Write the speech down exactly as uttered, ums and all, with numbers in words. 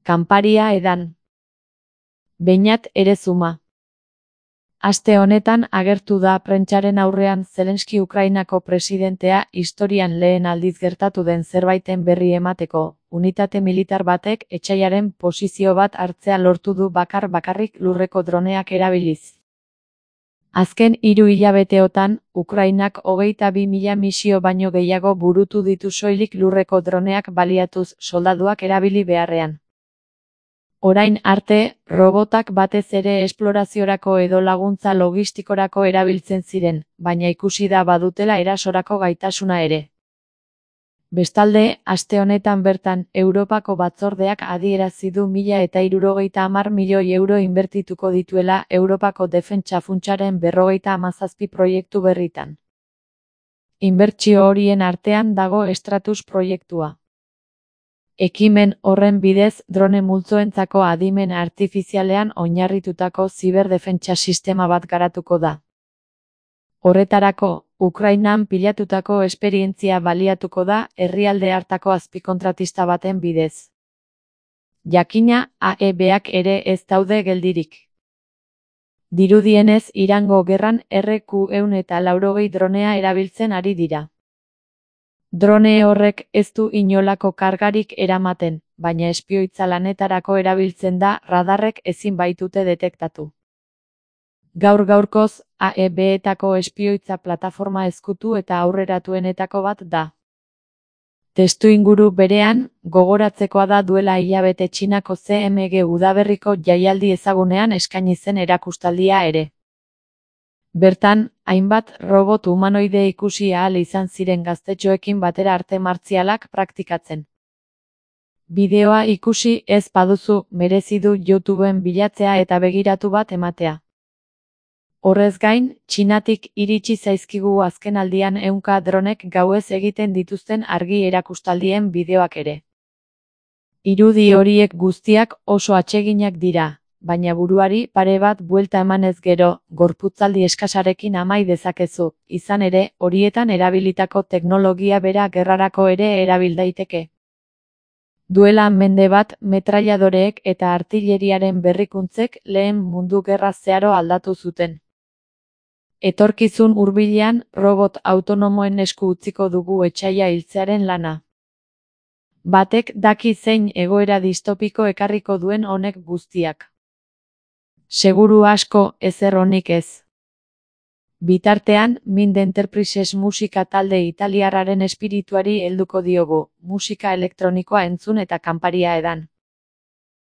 Kanparia edan. Beñat Erezuma. Aste honetan agertu da prentsaren aurrean Zelenski Ukrainako presidentea historian lehen aldiz gertatu den zerbaiten berri emateko, unitate militar batek etsaiaren posizio bat hartzea lortu du bakar bakarrik lurreko droneak erabiliz. Azken hiru hilabeteotan, Ukrainak hogeita bi mila misio baino gehiago burutu ditu soilik lurreko droneak baliatuz soldaduak erabili beharrean. Orain arte, robotak batez ere esploraziorako edo laguntza logistikorako erabiltzen ziren, baina ikusi da badutela erasorako gaitasuna ere. Bestalde, aste honetan bertan, Europako batzordeak adierazi du mila eta hirurogeita hamar milioi euro inbertituko dituela Europako defentsa funtsaren berrogeita hamazazpi proiektu berritan. Inbertsio horien artean dago Stratus proiektua. Ekimen horren bidez drone multzoentzako adimen artifizialean oinarritutako ziberdefentsa sistema bat garatuko da. Horretarako, Ukrainan pilatutako esperientzia baliatuko da herrialde hartako azpikontratista baten bidez. Jakina, A E Bak ere ez daude geldirik. Dirudienez Irango gerran R Q ehun eta laurogei dronea erabiltzen ari dira. Drone horrek ez du inolako kargarik eramaten, baina espioitza lanetarako erabiltzen da radarrek ezin baitute detektatu. Gaur gaurkoz, A E Betako espioitza plataforma ezkutu eta aurreratuenetako bat da. Testuinguru berean, gogoratzekoa da duela hilabete Txinako C M G udaberriko jaialdi ezagunean eskaini zen erakustaldia ere. Bertan, hainbat robot humanoide ikusi ahal izan ziren gaztetxoekin batera arte martzialak praktikatzen. Bideoa ikusi ez baduzu merezi du YouTubeen bilatzea eta begiratu bat ematea. Horrez gain, Txinatik iritsi zaizkigu azkenaldian ehunka dronek gauez egiten dituzten argi erakustaldien bideoak ere. Irudi horiek guztiak oso atseginak dira, baina buruari pare bat buelta emanez gero, gorputzaldi eskasarekin amai dezakezu, izan ere, horietan erabilitako teknologia bera gerrarako ere erabil daiteke. Duela mende bat, metrailadoreek eta artilleriaren berrikuntzek lehen mundu gerra zeharo aldatu zuten. Etorkizun hurbilean, robot autonomoen esku utziko dugu etsaia hiltzearen lana. Batek daki zein egoera distopiko ekarriko duen honek guztiak. Seguru asko, ezer onik ez. Bitartean, Mind Enterprises musika talde italiarraren espirituari helduko diogu, musika elektronikoa entzun eta kanparia edan.